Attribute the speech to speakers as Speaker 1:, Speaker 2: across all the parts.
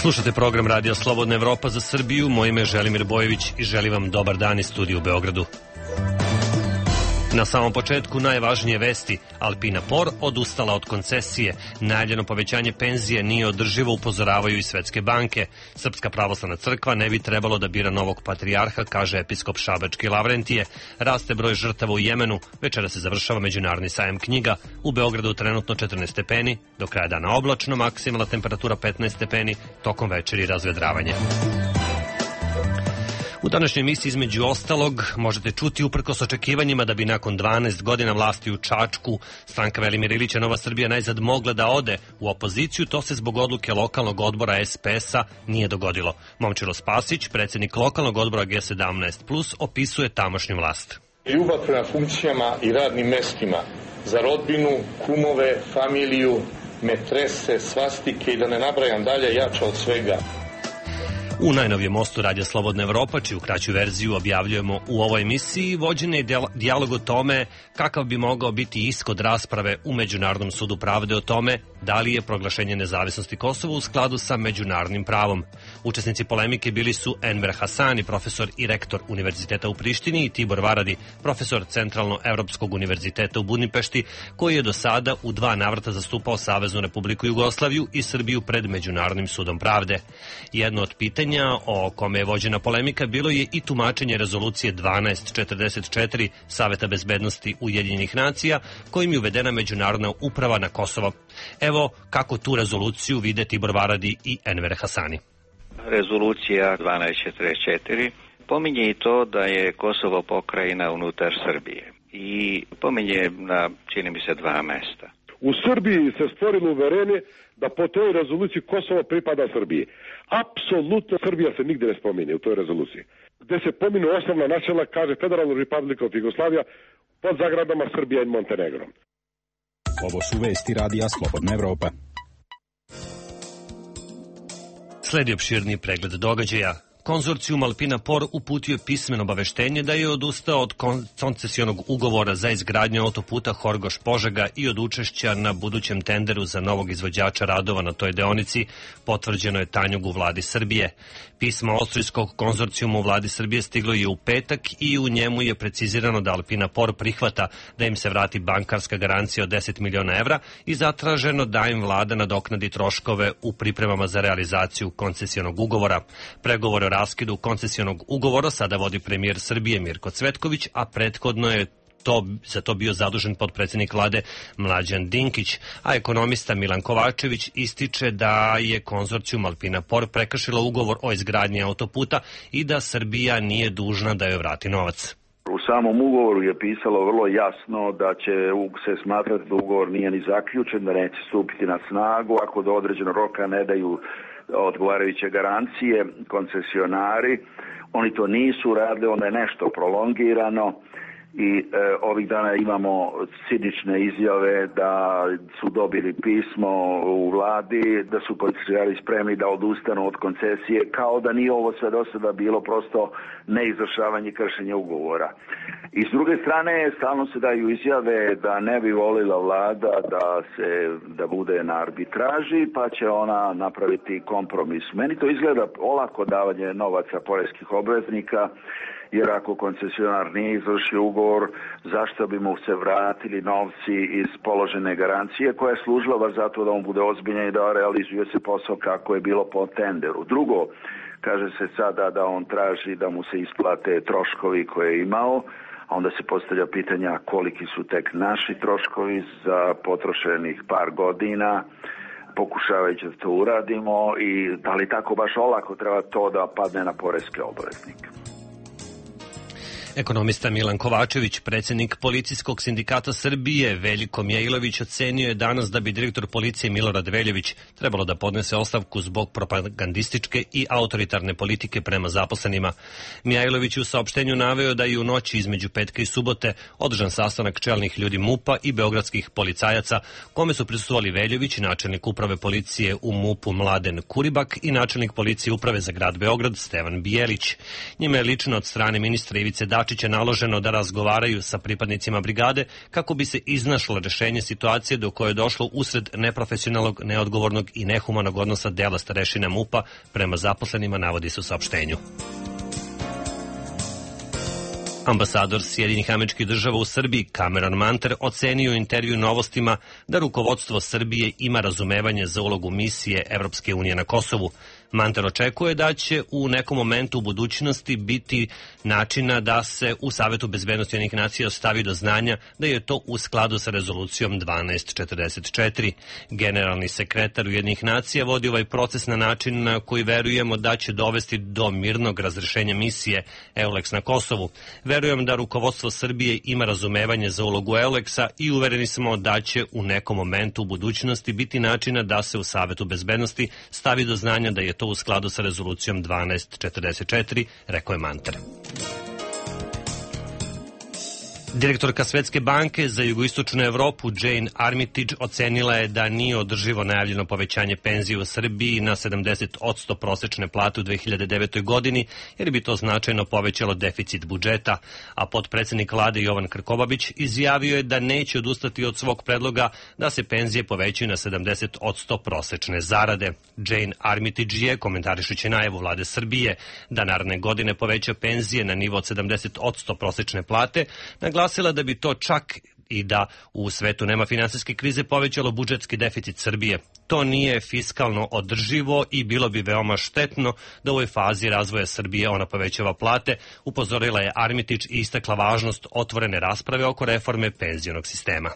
Speaker 1: Slušate program Radio Slobodna Evropa za Srbiju. Moje ime je Želimir Bojević i želim vam dobar dan iz studija u Beogradu. Na samom početku najvažnije vesti. Alpina Por odustala od koncesije. Najavljeno povećanje penzije nije održivo, upozoravaju i svetske banke. Srpska pravoslavna crkva ne bi trebalo da bira novog patrijarha, kaže episkop Šabački Lavrentije. Raste broj žrtava u Jemenu. Večera se završava Međunarodni sajam knjiga. U Beogradu trenutno 14 stepeni. Do kraja dana oblačno, maksimalna temperatura 15 stepeni. Tokom večeri razvedravanje. U današnjoj emisiji između ostalog možete čuti uprkos očekivanjima da bi nakon 12 godina vlasti u Čačku stranka Velimira Ilića Nova Srbija najzad mogla da ode u opoziciju, to se zbog odluke lokalnog odbora SPS-a nije dogodilo. Momčilo Spasić, predsjednik lokalnog odbora G17+, opisuje tamošnju vlast.
Speaker 2: Ljubav prema funkcijama i radnim mestima za rodbinu, kumove, familiju, metrese, svastike i da ne nabrajam dalje, jača od svega.
Speaker 1: U najnovijem mostu Radija Slobodna Evropa, čiju kraću verziju objavljujemo u ovoj emisiji, vođen je dijalog o tome kakav bi mogao biti ishod rasprave u Međunarodnom sudu pravde o tome da li je proglašenje nezavisnosti Kosova u skladu sa međunarodnim pravom. Učesnici polemike bili su Enver Hasani, profesor i rektor Univerziteta u Prištini, i Tibor Varadi, profesor Centralno-Evropskog univerziteta u Budimpešti, koji je do sada u 2 navrata zastupao Saveznu Republiku Jugoslaviju i Srbiju pred Međunarodnim sudom pravde. Jedno od pitanja o kome je vođena polemika bilo je i tumačenje rezolucije 1244 Saveta bezbednosti Ujedinjenih nacija, kojim je uvedena međunarodna uprava na Kosovo. Evo kako tu rezoluciju vide Tibor Varadi i Enver Hasani.
Speaker 3: Rezolucija 1244 pominje i to da je Kosovo pokrajina unutar Srbije i pominje na, čini mi se, 2 mesta.
Speaker 4: U Srbiji se stvorilo uverenje da po toj rezoluciji Kosovo pripada Srbiji. Apsolutno Srbija se nigde ne spominje u toj rezoluciji. Gde se pominu osnovna načela, kaže Federalna Republika od Jugoslavija pod zagradama Srbija i Montenegro.
Speaker 5: Ovo su vesti Radija Slobodna Evropa.
Speaker 1: Sledi opširni pregled događaja. Konzorcijum Alpina Por uputio pismeno obaveštenje da je odustao od koncesionog ugovora za izgradnju autoputa Horgoš-Požega i od učešća na budućem tenderu za novog izvođača radova na toj deonici, potvrđeno je Tanjug u vladi Srbije. Pismo austrijskog konzorcijuma u vladi Srbije stiglo je u petak i u njemu je precizirano da Alpina Por prihvata da im se vrati bankarska garancija od 10 miliona evra i zatraženo da im vlada nadoknadi troškove u pripremama za realizaciju koncesionog ugovora. Pregovore o raskidu koncesionog ugovora sada vodi premijer Srbije Mirko Cvetković, a prethodno je za to bio zadužen potpredsjednik vlade Mlađan Dinkić, a ekonomista Milan Kovačević ističe da je konzorcijum Alpina Por prekršila ugovor o izgradnji autoputa i da Srbija nije dužna da joj vrati novac.
Speaker 6: U samom ugovoru je pisalo vrlo jasno da će se smatrati da ugovor nije ni zaključen, da neće stupiti na snagu ako do određenog roka ne daju odgovarajuće garancije koncesionari. Oni to nisu radili, onda je nešto prolongirano i ovih dana imamo cinične izjave da su dobili pismo u vladi, da su koncesionari spremni da odustanu od koncesije, kao da nije ovo sve do sada bilo prosto neizvršavanje i kršenje ugovora. I s druge strane, stalno se daju izjave da ne bi volila vlada da bude na arbitraži, pa će ona napraviti kompromis. Meni to izgleda olako davanje novaca poreskih obveznika, jer ako koncesionar nije izvršio ugovor, zašto bi mu se vratili novci iz položene garancije koja je služila baš zato da on bude ozbiljan i da realizuje se posao kako je bilo po tenderu. Drugo, kaže se sada da on traži da mu se isplate troškovi koje je imao, a onda se postavlja pitanja koliki su tek naši troškovi za potrošenih par godina, pokušavajući da to uradimo i da li tako baš olako treba to da padne na poreske obveznike.
Speaker 1: Ekonomista Milan Kovačević, predsjednik Policijskog sindikata Srbije Veljko Mjailović, ocenio je danas da bi direktor policije Milorad Veljović trebalo da podnese ostavku zbog propagandističke i autoritarne politike prema zaposlenima. Mjailović u saopštenju naveo da je u noći između petka i subote održan sastanak čelnih ljudi MUP-a i beogradskih policajaca, kome su prisustvovali Veljović, načelnik uprave policije u MUP-u Mladen Kuribak i načelnik policije uprave za grad Beograd Stevan Bijelić. Njima je lično od strane ministra Ivice Dačića Dačića naloženo da razgovaraju sa pripadnicima brigade kako bi se iznašlo rešenje situacije do koje je došlo usred neprofesionalnog, neodgovornog i nehumanog odnosa dela starešina MUP-a prema zaposlenima, navodi se u saopštenju. Ambasador Sjedinjenih Američkih Država u Srbiji Cameron Manter ocenio u intervju Novostima da rukovodstvo Srbije ima razumevanje za ulogu misije Evropske unije na Kosovu. Manter očekuje da će u nekom momentu u budućnosti biti načina da se u Savetu bezbednosti Ujedinjenih nacija stavi do znanja da je to u skladu sa rezolucijom 1244. Generalni sekretar Ujedinjenih nacija vodi ovaj proces na način na koji verujemo da će dovesti do mirnog razrešenja misije EULEX na Kosovu. Verujem da rukovodstvo Srbije ima razumevanje za ulogu EULEX-a i uvereni smo da će u nekom momentu u budućnosti biti načina da se u Savetu bezbednosti stavi do znanja da je to u skladu sa rezolucijom 1244, rekao je Manter. Direktorka Svetske banke za jugoistočnu Evropu Jane Armitage ocenila je da nije održivo najavljeno povećanje penzije u Srbiji na 70% prosečne plate u 2009. godini, jer bi to značajno povećalo deficit budžeta, a potpredsednik vlade Jovan Krkobabić izjavio je da neće odustati od svog predloga da se penzije povećaju na 70% prosečne zarade. Jane Armitage je, komentarišući najavu vlade Srbije da naredne godine poveća penzije na nivo od 70% prosečne plate, naglasila da bi to čak i da u svetu nema finansijske krize povećalo budžetski deficit Srbije. To nije fiskalno održivo i bilo bi veoma štetno da u ovoj fazi razvoja Srbije ona povećava plate, upozorila je Armitage i istakla važnost otvorene rasprave oko reforme penzionog sistema.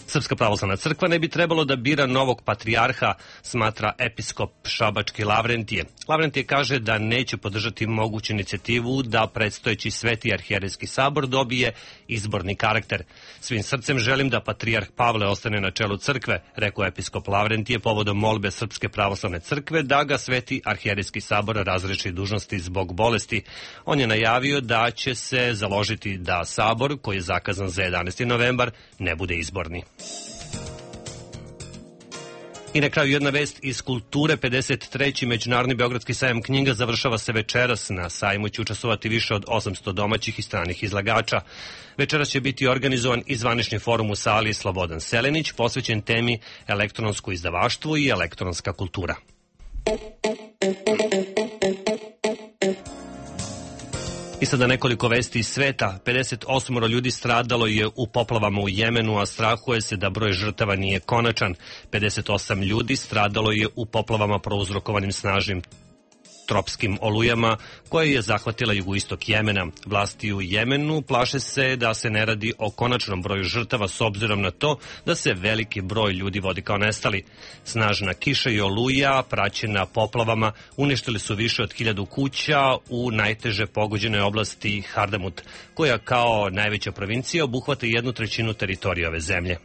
Speaker 1: Srpska pravoslavna crkva ne bi trebalo da bira novog patrijarha, smatra episkop šabački Lavrentije. Lavrentije kaže da neće podržati moguću inicijativu da predstojeći Sveti arhijerejski sabor dobije izborni karakter. Svim srcem želim da patrijarh Pavle ostane na čelu crkve, rekao episkop Lavrentije povodom molbe Srpske pravoslavne crkve da ga Sveti arhijerejski sabor razreši dužnosti zbog bolesti. On je najavio da će se založiti da sabor, koji je zakazan za 11. novembar, ne bude izborni. I na kraju jedna vest iz kulture. 53. Međunarodni Beogradski sajam knjiga završava se večeras. Na sajmu će učestvovati više od 800 domaćih i stranih izlagača. Večeras će biti organizovan i zvanični forum u sali Slobodan Selenić, posvećen temi elektronsko izdavaštvo i elektronska kultura. I sada nekoliko vesti iz sveta. 58 ljudi stradalo je u poplavama u Jemenu, a strahuje se da broj žrtava nije konačan. 58 ljudi stradalo je u poplavama prouzrokovanim snažnim tropskim olujama koje je zahvatila jugoistok Jemena. Vlasti u Jemenu plaše se da se ne radi o konačnom broju žrtava s obzirom na to da se veliki broj ljudi vodi kao nestali. Snažna kiša i oluja praćena poplavama uništili su više od 1000 kuća u najteže pogođenoj oblasti Hardamut, koja kao najveća provincija obuhvata 1/3 teritorije ove zemlje.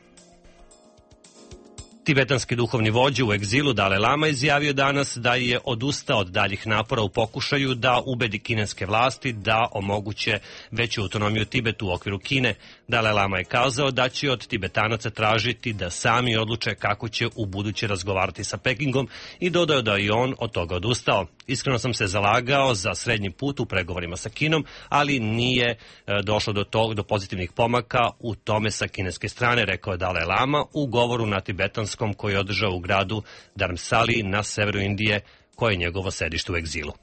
Speaker 1: Tibetanski duhovni vođa u egzilu Dalaj Lama izjavio danas da je odustao od daljih napora u pokušaju da ubedi kineske vlasti da omoguće veću autonomiju Tibetu u okviru Kine. Dalaj Lama je kazao da će od Tibetanaca tražiti da sami odluče kako će u buduće razgovarati sa Pekingom i dodao da je on od toga odustao. Iskreno sam se zalagao za srednji put u pregovorima sa Kinom, ali nije došlo do pozitivnih pomaka u tome sa kineske strane, rekao je Dalaj Lama u govoru na tibetanskom koji je održao u gradu Dharamsali na severu Indije, koje je njegovo sedište u egzilu.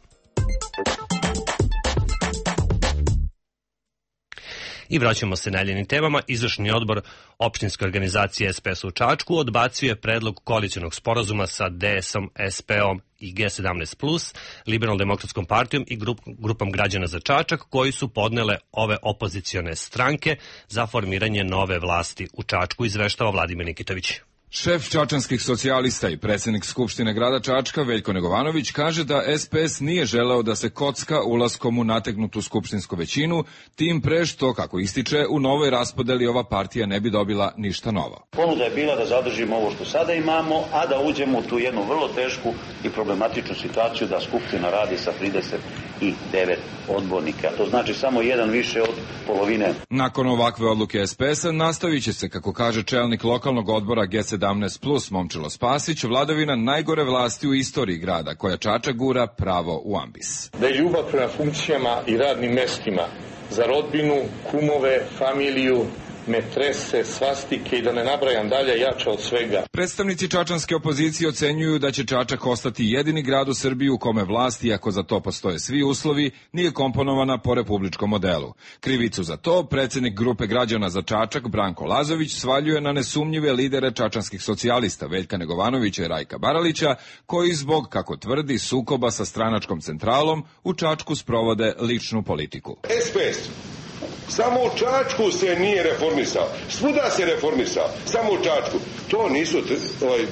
Speaker 1: I vraćamo se najeljenim temama. Izvršni odbor opštinske organizacije SPS u Čačku odbacio je predlog koalicionog sporazuma sa DS-om, SP-om i G17+, Liberalno-demokratskom partijom i grupom građana za Čačak, koji su podnele ove opozicione stranke za formiranje nove vlasti u Čačku, izveštava Vladimir Nikitović.
Speaker 7: Šef čačanskih socijalista i predsjednik Skupštine grada Čačka Veljko Negovanović kaže da SPS nije želeo da se kocka ulaskom u nategnutu skupštinsku većinu, tim pre što, kako ističe, u novoj raspodeli ova partija ne bi dobila ništa novo.
Speaker 8: Ponuda je bila da zadržimo ovo što sada imamo, a da uđemo u tu jednu vrlo tešku i problematičnu situaciju da Skupština radi sa 39 odbornika. To znači samo jedan više od polovine.
Speaker 7: Nakon ovakve odluke SPS-a nastavit će se, kako kaže čelnik lokalnog odbora G17+, 17+, Momčilo Spasić, vladavina najgore vlasti u istoriji grada, koja Čačak gura pravo u ambis.
Speaker 2: Da je ljubav prema funkcijama i radnim mestima, za rodbinu, kumove, familiju, metrese, svastike i da ne nabrajam dalje, jača od svega.
Speaker 7: Predstavnici čačanske opozicije ocenjuju da će Čačak ostati jedini grad u Srbiji u kome vlast, iako za to postoje svi uslovi, nije komponovana po republičkom modelu. Krivicu za to predsjednik grupe građana za Čačak, Branko Lazović, svaljuje na nesumnjive lidere čačanskih socijalista Veljka Negovanovića i Rajka Baralića, koji zbog, kako tvrdi, sukoba sa stranačkom centralom u Čačku sprovode ličnu politiku.
Speaker 9: SPS. Samo u Čačku se nije reformisao. Svuda se reformisao. Samo u Čačku. To nisu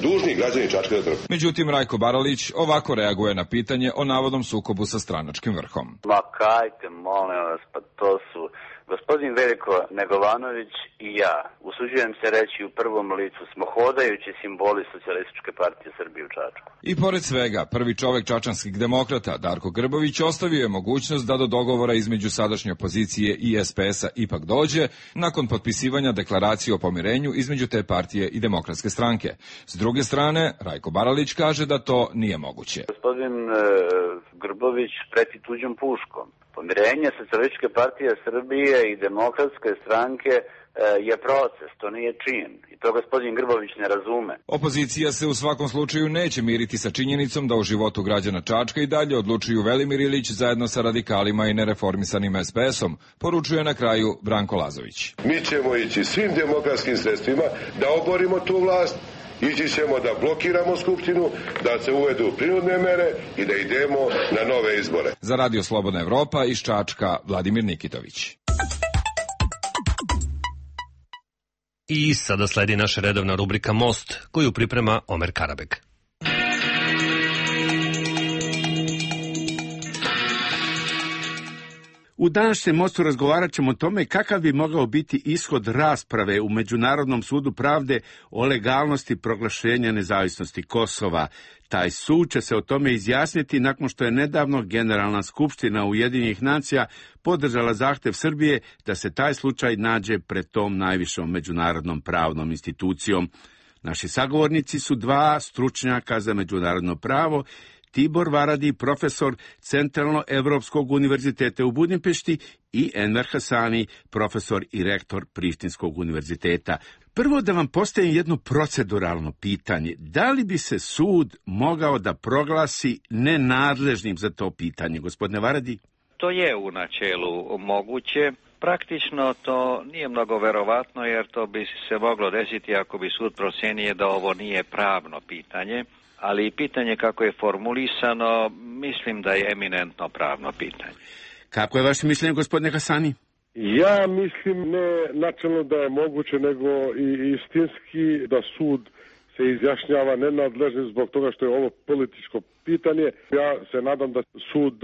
Speaker 9: dužni građani Čačka da trpe.
Speaker 7: Međutim, Rajko Baralić ovako reaguje na pitanje o navodnom sukobu sa stranačkim vrhom.
Speaker 10: Ma kajte, molim vas, pa to su gospodin Veljko Negovanović i ja, usuđujem se reći u prvom licu, smo hodajući simboli Socijalističke partije Srbije u Čačku.
Speaker 7: I pored svega, prvi čovek čačanskih demokrata, Darko Grbović, ostavio je mogućnost da do dogovora između sadašnje opozicije i SPS-a ipak dođe, nakon potpisivanja deklaracije o pomirenju između te partije i Demokratske stranke. S druge strane, Rajko Baralić kaže da to nije moguće.
Speaker 10: Gospodin Grbović preti tuđom puškom. Pomirenje Socijalističke partije Srbije i Demokratske stranke je proces, to nije čin. I to gospodin Grbović ne razume.
Speaker 7: Opozicija se u svakom slučaju neće miriti sa činjenicom da u životu građana Čačka i dalje odlučuju Velimir Ilić zajedno sa radikalima i nereformisanim SPS-om, poručuje na kraju Branko Lazović.
Speaker 9: Mi ćemo ići svim demokratskim sredstvima da oborimo tu vlast. Ići ćemo da blokiramo Skupštinu, da se uvedu prinudne mere i da idemo na nove izbore.
Speaker 7: Za Radio Slobodna Evropa iz Čačka, Vladimir Nikitović.
Speaker 1: I sada sledi naša redovna rubrika Most, koju priprema Omer Karabeg.
Speaker 11: U današnjem Mostu razgovarat ćemo o tome kakav bi mogao biti ishod rasprave u Međunarodnom sudu pravde o legalnosti proglašenja nezavisnosti Kosova. Taj sud će se o tome izjasniti nakon što je nedavno Generalna skupština Ujedinjenih nacija podržala zahtev Srbije da se taj slučaj nađe pred tom najvišom međunarodnom pravnom institucijom. Naši sagovornici su dva stručnjaka za međunarodno pravo, Tibor Varadi, profesor Centralno-Evropskog univerziteta u Budimpešti, i Enver Hasani, profesor i rektor Prištinskog univerziteta. Prvo da vam postavim jedno proceduralno pitanje. Da li bi se sud mogao da proglasi nenadležnim za to pitanje, gospodine Varadi?
Speaker 3: To je u načelu moguće. Praktično to nije mnogo verovatno, jer to bi se moglo desiti ako bi sud procenio da ovo nije pravno pitanje. Ali pitanje kako je formulisano, mislim da je eminentno pravno pitanje.
Speaker 11: Kako je vaše mišljenje, gospodine Hasani?
Speaker 4: Ja mislim ne načelno da je moguće, nego i istinski da sud se izjašnjava nenadležnim zbog toga što je ovo političko pitanje. Ja se nadam da sud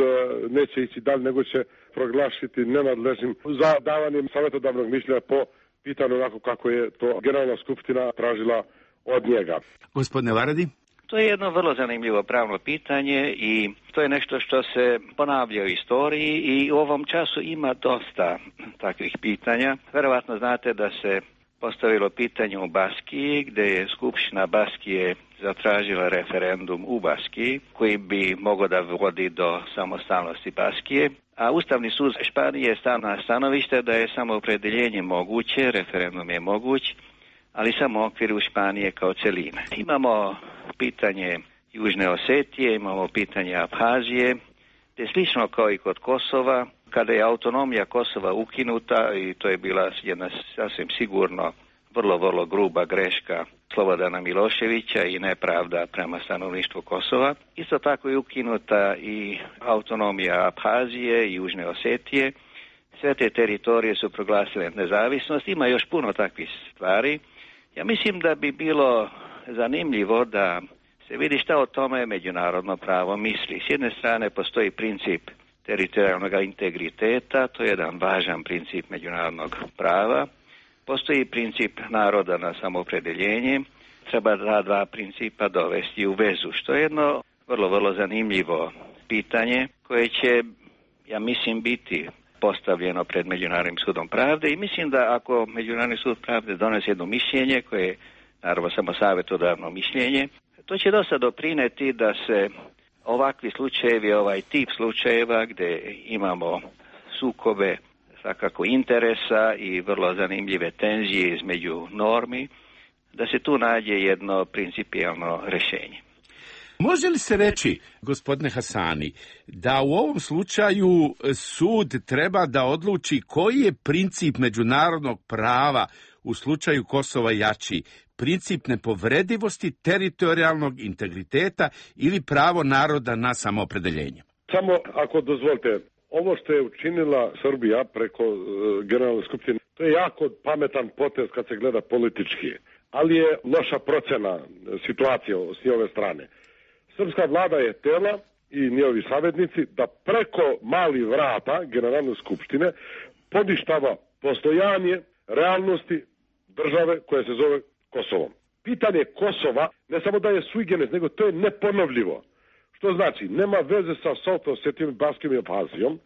Speaker 4: neće ići dalje, nego će proglašiti nenadležnim za davanjem savjetodavnog mišljenja po pitanju onako kako je to Generalna skupština tražila od njega.
Speaker 11: Gospodine Varadi?
Speaker 3: To je jedno vrlo zanimljivo pravno pitanje i to je nešto što se ponavlja u istoriji i u ovom času ima dosta takvih pitanja. Verovatno znate da se postavilo pitanje u Baskiji, gde je Skupština Baskije zatražila referendum u Baskiji, koji bi mogao da vodi do samostalnosti Baskije. A Ustavni sud Španije je stao na stanovište da je samoopredeljenje moguće, referendum je moguć, ali samo u okviru Španije kao celine. Imamo pitanje Južne Osetije, imamo pitanje Abhazije, te slično kao i kod Kosova, kada je autonomija Kosova ukinuta, i to je bila jedna sasvim sigurno vrlo gruba greška Slobodana Miloševića i nepravda prema stanovništvu Kosova. Isto tako je ukinuta i autonomija Abhazije i Južne Osetije. Sve te teritorije su proglasile nezavisnost. Ima još puno takvih stvari. Ja mislim da bi bilo zanimljivo da se vidi šta o tome međunarodno pravo misli. S jedne strane postoji princip teritorijalnog integriteta, to je jedan važan princip međunarodnog prava. Postoji princip naroda na samoopredeljenje. Treba ta dva principa dovesti u vezu, što je jedno vrlo zanimljivo pitanje koje će, ja mislim, biti postavljeno pred Međunarodnim sudom pravde i mislim da ako Međunarodni sud pravde donese jedno mišljenje koje naravno samo savjetodavno mišljenje. To će dosta doprineti da se ovakvi slučajevi, ovaj tip slučajeva gdje imamo sukobe svakako interesa i vrlo zanimljive tenzije između normi, da se tu nađe jedno principijelno rješenje.
Speaker 11: Može li se reći, gospodine Hasani, da u ovom slučaju sud treba da odluči koji je princip međunarodnog prava u slučaju Kosova jači? Princip nepovredivosti, teritorijalnog integriteta ili pravo naroda na samoopredeljenje?
Speaker 4: Samo ako dozvolite, ovo što je učinila Srbija preko Generalne skupštine, to je jako pametan potez kad se gleda politički, ali je loša procena situacije s njihove strane. Srpska vlada je htjela i njihovi savjetnici da preko malih vrata Generalne skupštine poništava postojanje realnosti države koja se zove Kosovom. Pitanje Kosova ne samo da je sui generis, nego to je neponovljivo. Što znači, nema veze sa South Osetijom, Baskom i Abhazijom,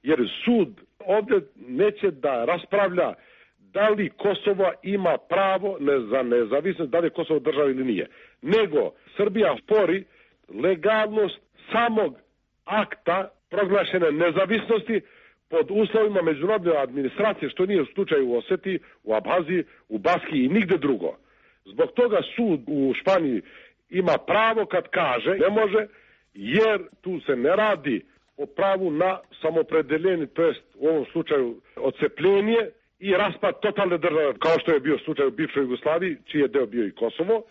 Speaker 4: jer sud ovdje neće da raspravlja da li Kosovo ima pravo za nezavisnost, da li je Kosovo država ili nije. Nego Srbija spori legalnost samog akta proglašene nezavisnosti pod uslovima međunarodne administracije, što nije u slučaju u Osetiji, u Abhaziji, u Baski i nigde drugo. Zbog toga sud u Španiji ima pravo kad kaže ne može, jer tu se ne radi o pravu na samopredeljenje, to jest u ovom slučaju odcepljenje i raspad totalne države, kao što je bio slučaj u bivšoj Jugoslaviji, čiji je deo bio i Kosovo.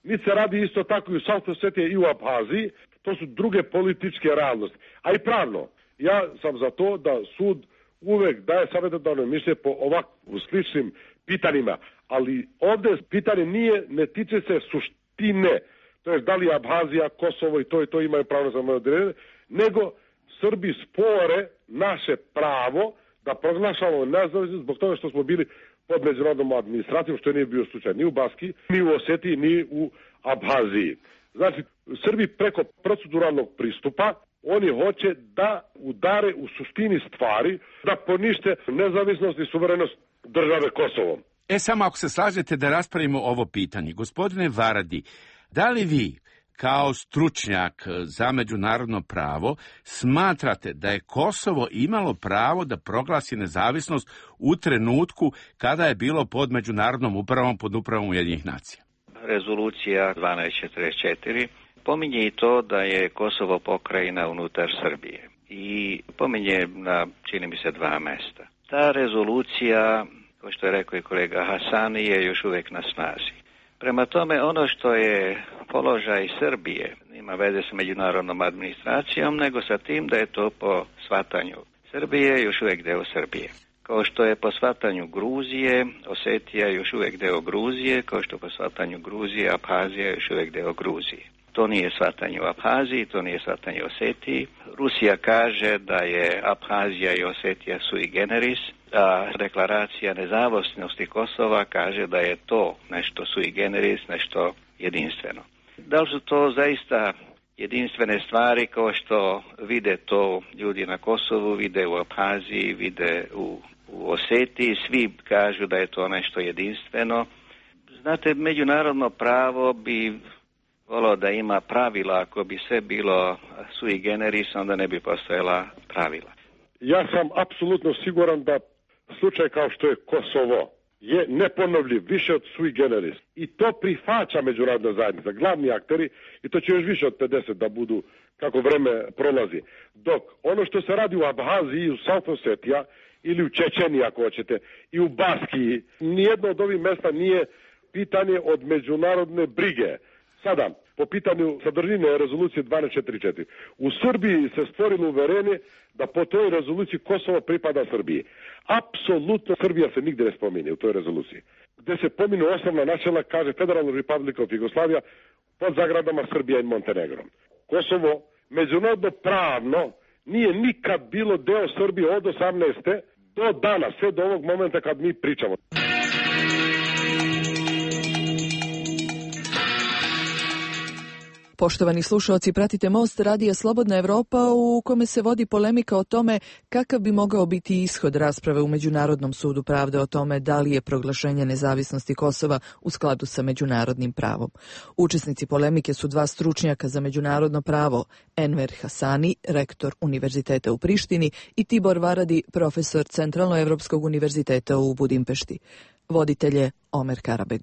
Speaker 4: Niti se radi isto tako i u South Osetiji i u Abhaziji, to su druge političke realnosti. A i pravno, ja sam za to da sud uvek daje savjetodavno mišljenje po ovakvim sličnim pitanjima, ali ovdje pitanje ne tiče se suštine, to je da li Abhazija, Kosovo i to imaju pravo za samoodređenje, nego Srbi spore naše pravo da proglašavamo nezavisnost zbog toga što smo bili pod međunarodnom administracijom, što nije bio slučaj ni u Baski, ni u Osetiji, ni u Abhaziji. Znači, Srbi preko proceduralnog pristupa, oni hoće da udare u suštini stvari, da ponište nezavisnost i suverenost države Kosovom.
Speaker 11: Samo ako se slažete da raspravimo ovo pitanje. Gospodine Varadi, da li vi, kao stručnjak za međunarodno pravo, smatrate da je Kosovo imalo pravo da proglasi nezavisnost u trenutku kada je bilo pod međunarodnom upravom, pod upravom Ujedinjenih nacija?
Speaker 3: Rezolucija 1244 pominje i to da je Kosovo pokrajina unutar Srbije i pominje na, čini mi se, 2 mesta. Ta rezolucija, kao što je rekao i kolega Hasani, je još uvijek na snazi. Prema tome, ono što je položaj Srbije ima veze sa međunarodnom administracijom, nego sa tim da je to po shvatanju Srbije još uvijek deo Srbije. Kao što je po shvatanju Gruzije, Osetija je još uvijek deo Gruzije, kao što po shvatanju Gruzije, Abhazija je još uvijek deo Gruzije. To nije shvatanje u Abhaziji, to nije shvatanje u Osetiji. Rusija kaže da je Abhazija i Osetija sui generis, a deklaracija nezavisnosti Kosova kaže da je to nešto sui generis, nešto jedinstveno. Da li su to zaista jedinstvene stvari kao što vide to ljudi na Kosovu, vide u Abhaziji, vide u Osetiji, svi kažu da je to nešto jedinstveno. Znate, međunarodno pravo bi volio da ima pravila, ako bi sve bilo sui generis, onda ne bi postojala pravila.
Speaker 4: Ja sam apsolutno siguran da slučaj kao što je Kosovo je neponovljiv, više od sui generis. I to prihvaća međunarodna zajednica, glavni akteri, i to će još više od 50 da budu kako vreme prolazi. Dok ono što se radi u Abhaziji, u South Osetija ili u Čečeniji, ako hoćete, i u Baskiji, nijedno od ovih mesta nije pitanje od međunarodne brige. Sada, po pitanju sadržine rezolucije 1244, u Srbiji se stvorilo uverenje da po toj rezoluciji Kosovo pripada Srbiji. Apsolutno Srbija se nigde ne spominje u toj rezoluciji. Gde se pominu osnovna načela, kaže Federalna Republika of Jugoslavija pod zagradama Srbija i Montenegro. Kosovo međunarodno pravno nije nikad bilo deo Srbije od 18. do danas, sve do ovog momenta kad mi pričamo.
Speaker 12: Poštovani slušaoci, pratite Most radija Slobodna Evropa u kome se vodi polemika o tome kakav bi mogao biti ishod rasprave u Međunarodnom sudu pravde o tome da li je proglašenje nezavisnosti Kosova u skladu sa međunarodnim pravom. Učesnici polemike su dva stručnjaka za međunarodno pravo, Enver Hasani, rektor Univerziteta u Prištini, i Tibor Varadi, profesor Centralnoevropskog univerziteta u Budimpešti. Voditelj je Omer Karabeg.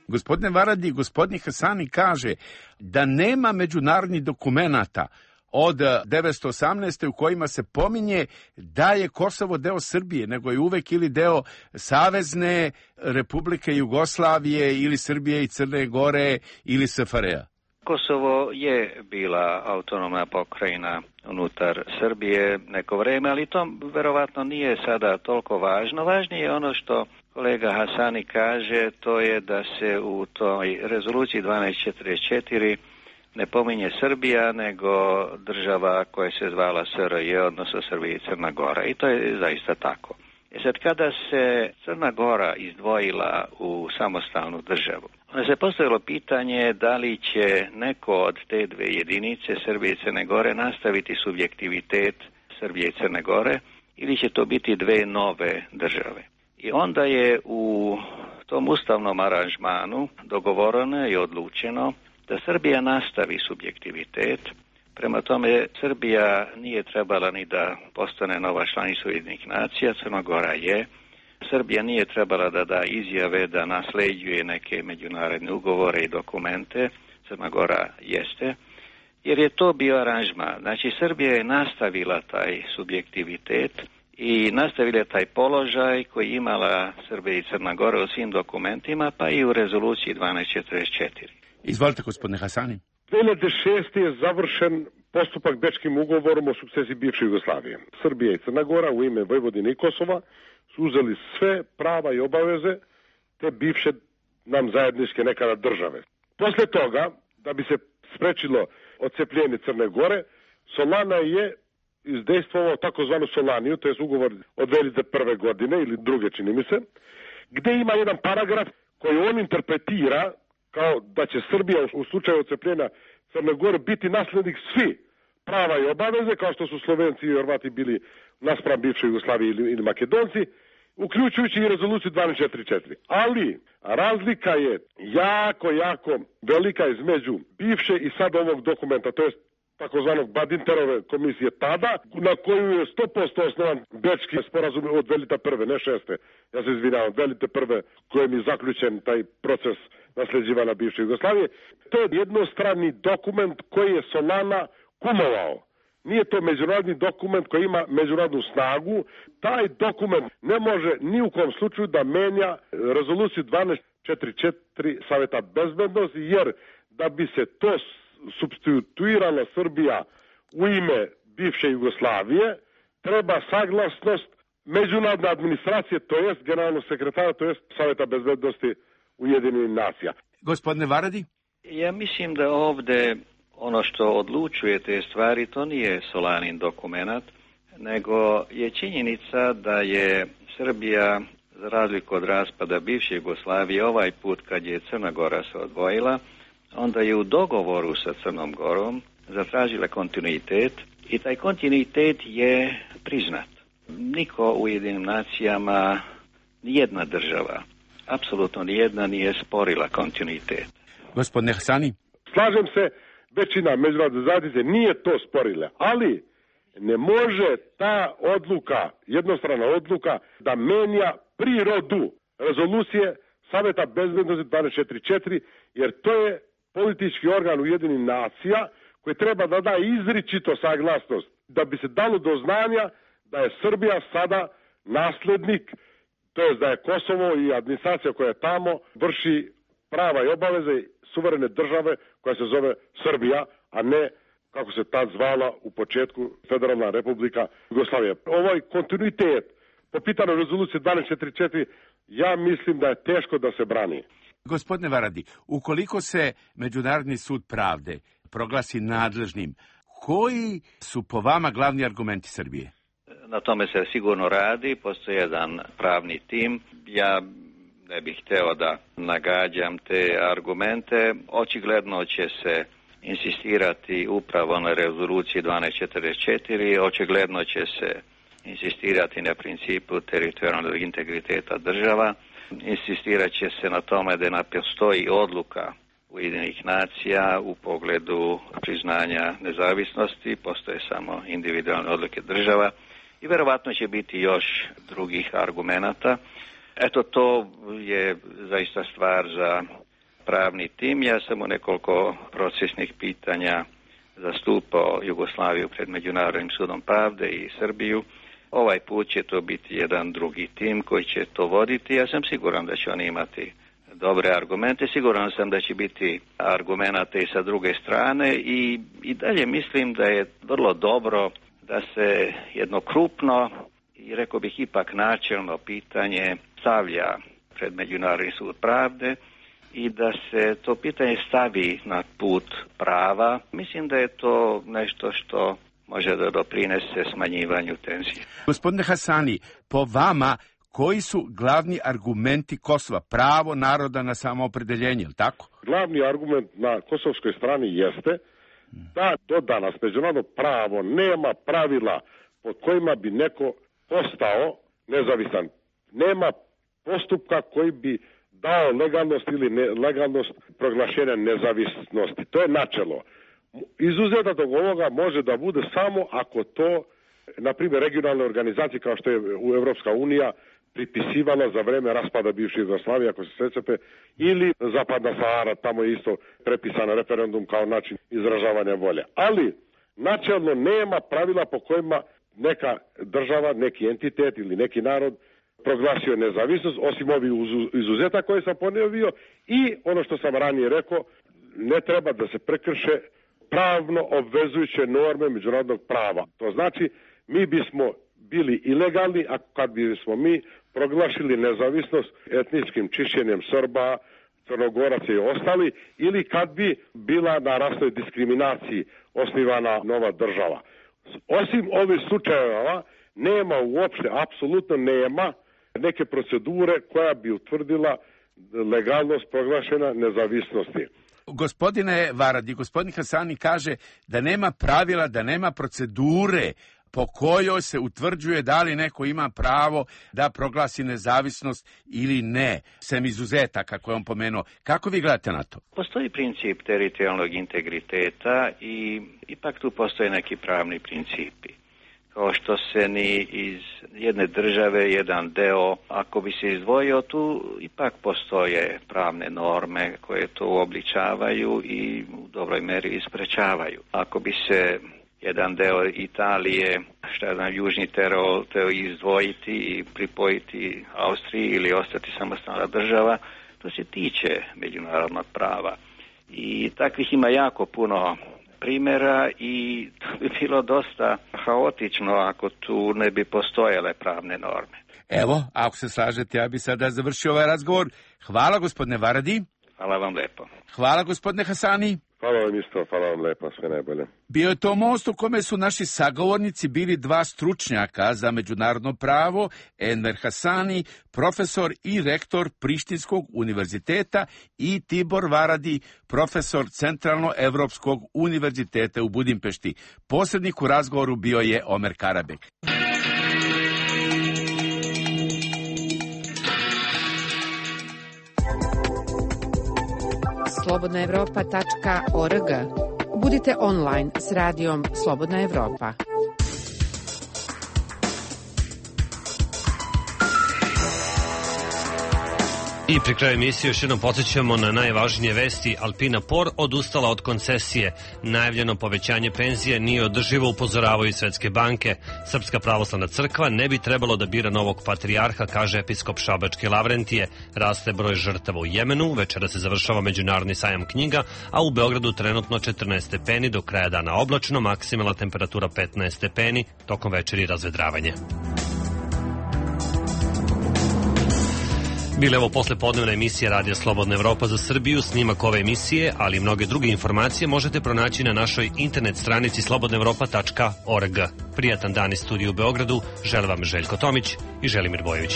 Speaker 11: Gospodine Varadi, gospodin Hasani kaže da nema međunarodnih dokumenata od 1918. u kojima se pominje da je Kosovo deo Srbije, nego je uvek ili deo Savezne Republike Jugoslavije ili Srbije i Crne Gore ili SFRJ-a.
Speaker 3: Kosovo je bila autonomna pokrajina unutar Srbije neko vreme, ali to verovatno nije sada toliko važno. Važnije je ono što kolega Hasani kaže, to je da se u toj rezoluciji 1244 ne pominje Srbija, nego država koja se zvala SRJ, odnosno Srbija i Crna Gora. I to je zaista tako. Sad, kada se Crna Gora izdvojila u samostalnu državu, onda se postavilo pitanje da li će neko od te dve jedinice, Srbije i Crne Gore, nastaviti subjektivitet Srbije i Crne Gore ili će to biti dve nove države. I onda je u tom ustavnom aranžmanu dogovoreno i odlučeno da Srbija nastavi subjektivitet. Prema tome, Srbija nije trebala ni da postane nova članica Ujedinjenih nacija, Crna Gora je. Srbija nije trebala da da izjave da nasleđuje neke međunarodne ugovore i dokumente, Crna Gora jeste, jer je to bio aranžman. Znači, Srbija je nastavila taj subjektivitet i nastavila taj položaj koji imala Srbija i Crna Gora u svim dokumentima, pa i u rezoluciji 1244.
Speaker 11: Izvolite, gospodine Hasani.
Speaker 4: 2006. je završen postupak Bečkim ugovorom o sukcesiji bivše Jugoslavije. Srbija i Crna Gora u ime Vojvodine i Kosova su uzeli sve prava i obaveze te bivše nam zajedničke nekada države. Posle toga, da bi se sprečilo odcepljenje Crne Gore, Solana je izdejstvovao takozvanu Solaniju, to je ugovor od 2001. godine ili druge, čini mi se, gde ima jedan paragraf koji on interpretira kao da će Srbija u slučaju odcepljenja Crne Gore biti naslednik svi prava i obaveze, kao što su Slovenci i Hrvati bili naspram bivše Jugoslavije ili Makedonci, uključujući i rezoluciju 1244. Ali razlika je jako velika između bivše i sad ovog dokumenta, to je takozvanog Badinterove komisije tada, na koju je 100% osnovan Bečki sporazum od 2001. ne 6. Ja se izvinjavam, 2001. kojem je zaključen taj proces nasljeđivanja bivše Jugoslavije. To je jednostrani dokument koji je Solana kumovao. Nije to međunarodni dokument koji ima međunarodnu snagu. Taj dokument ne može ni u kom slučaju da menja rezoluciju 1244 Saveta bezbednosti, jer da bi se to supstituirala Srbija u ime bivše Jugoslavije, treba saglasnost međunarodne administracije, to jest generalnog sekretara, to jest Saveta bezbednosti Ujedinjenih nacija.
Speaker 11: Gospodine Varadi?
Speaker 3: Ja mislim da ovde ono što odlučuje te stvari, to nije Solanin dokumenat, nego je činjenica da je Srbija, za razliku od raspada bivše Jugoslavije, ovaj put kad je Crna Gora se odvojila, onda je u dogovoru sa Crnom Gorom zatražila kontinuitet i taj kontinuitet je priznat. Niko u Ujedinjenim nacijama, nijedna država, apsolutno nijedna nije sporila kontinuitet.
Speaker 11: Gospodine Hasani?
Speaker 4: Slažem se, većina međunarodne zajednice nije to sporila, ali ne može ta odluka, jednostrana odluka, da menja prirodu rezolucije Saveta bezbednosti 1244, jer to je politički organ Ujedinjenih nacija koji treba da da izričito saglasnost da bi se dalo do znanja da je Srbija sada naslednik, to je da je Kosovo i administracija koja je tamo vrši prava i obaveze suverene države koja se zove Srbija, a ne kako se tad zvala u početku Federalna republika Jugoslavija. Ovaj kontinuitet po pitanju rezolucije 1244 ja mislim da je teško da se brani.
Speaker 11: Gospodine Varadi, ukoliko se Međunarodni sud pravde proglasi nadležnim, koji su po vama glavni argumenti Srbije?
Speaker 3: Na tome se sigurno radi, postoji jedan pravni tim. Ja ne bih hteo da nagađam te argumente. Očigledno će se insistirati upravo na rezoluciji 1244, očigledno će se insistirati na principu teritorijalnog integriteta država, insistirat će se na tome da ne postoji odluka Ujedinjenih nacija u pogledu priznanja nezavisnosti, postoje samo individualne odluke država i verovatno će biti još drugih argumenata. Eto, to je zaista stvar za pravni tim. Ja sam u nekoliko procesnih pitanja zastupao Jugoslaviju pred Međunarodnim sudom pravde i Srbiju. Ovaj put će to biti jedan drugi tim koji će to voditi. Ja sam siguran da će oni imati dobre argumente. Siguran sam da će biti argumenata i sa druge strane i dalje mislim da je vrlo dobro da se jedno krupno i rekao bih ipak načelno pitanje stavlja pred Međunarodni sud pravde i da se to pitanje stavi na put prava. Mislim da je to nešto što može da doprinese smanjivanju tenzije.
Speaker 11: Gospodine Hasani, po vama, koji su glavni argumenti Kosova? Pravo naroda na samoopredeljenje, je li tako?
Speaker 4: Glavni argument na kosovskoj strani jeste da do danas međunarodno pravo nema pravila pod kojima bi neko postao nezavisan. Nema postupka koji bi dao legalnost ili nelegalnost proglašenja nezavisnosti. To je načelo. Izuzetak od ovoga može da bude samo ako to, na primjer, regionalne organizacije kao što je Evropska unija pripisivala za vreme raspada bivše Jugoslavije, ako se sećate, ili Zapadna Sahara, tamo je isto prepisan referendum kao način izražavanja volje. Ali načelno nema pravila po kojima neka država, neki entitet ili neki narod proglasio nezavisnost, osim ovih izuzetaka koje sam ponovio i ono što sam ranije rekao, ne treba da se prekrše pravno obvezujuće norme međunarodnog prava. To znači, mi bismo bili ilegalni, a kad bismo mi proglašili nezavisnost etničkim čišćenjem Srba, Crnogoraca i ostali, ili kad bi bila na rasnoj diskriminaciji osnivana nova država. Osim ovih slučajeva, nema uopšte, apsolutno nema neke procedure koja bi utvrdila legalnost proglašena nezavisnosti.
Speaker 11: Gospodine Varadi, gospodin Hasani kaže da nema pravila, da nema procedure po kojoj se utvrđuje da li neko ima pravo da proglasi nezavisnost ili ne, sem izuzetaka koje on pomenuo. Kako vi gledate na to?
Speaker 3: Postoji princip teritorijalnog integriteta i ipak tu postoje neki pravni principi. Kao što se ni iz jedne države, jedan deo, ako bi se izdvojio, tu ipak postoje pravne norme koje to uobličavaju i u dobroj meri isprečavaju. Ako bi se jedan deo Italije, južni Tirol, teo izdvojiti i pripojiti Austriji ili ostati samostalna država, to se tiče međunarodnog prava. I takvih ima jako puno primjera i to bi bilo dosta haotično ako tu ne bi postojale pravne norme.
Speaker 11: Evo, ako se slažete, ja bi sada završio ovaj razgovor. Hvala gospodine Varadi.
Speaker 3: Hvala vam lepo.
Speaker 11: Hvala gospodine Hasani.
Speaker 4: Hvala vam isto, hvala vam lepo, sve najbolje.
Speaker 11: Bio je to most u kome su naši sagovornici bili dva stručnjaka za međunarodno pravo, Enver Hasani, profesor i rektor Prištinskog univerziteta, i Tibor Varadi, profesor Centralno-Evropskog univerziteta u Budimpešti. Posrednik u razgovoru bio je Omer Karabek.
Speaker 13: slobodnaevropa.org. Budite online s radijom Slobodna Evropa.
Speaker 1: I pri kraju emisije još jednom podsjećamo na najvažnije vesti. Alpina Por odustala od koncesije. Najavljeno povećanje penzije nije održivo, upozoravaju Svetske banke. Srpska pravoslavna crkva ne bi trebalo da bira novog patrijarha, kaže episkop Šabačke Lavrentije. Raste broj žrtava u Jemenu, večera se završava međunarodni sajam knjiga, a u Beogradu trenutno 14 stepeni, do kraja dana oblačno, maksimalna temperatura 15 stepeni, tokom večeri razvedravanje. Bile ovo poslepodnevna emisija Radija Slobodna Evropa za Srbiju. Snimak ove emisije, ali i mnoge druge informacije možete pronaći na našoj internet stranici slobodnaevropa.org. Prijatan dan iz studija u Beogradu. Želim vam Željko Tomić i Želimir Bojović.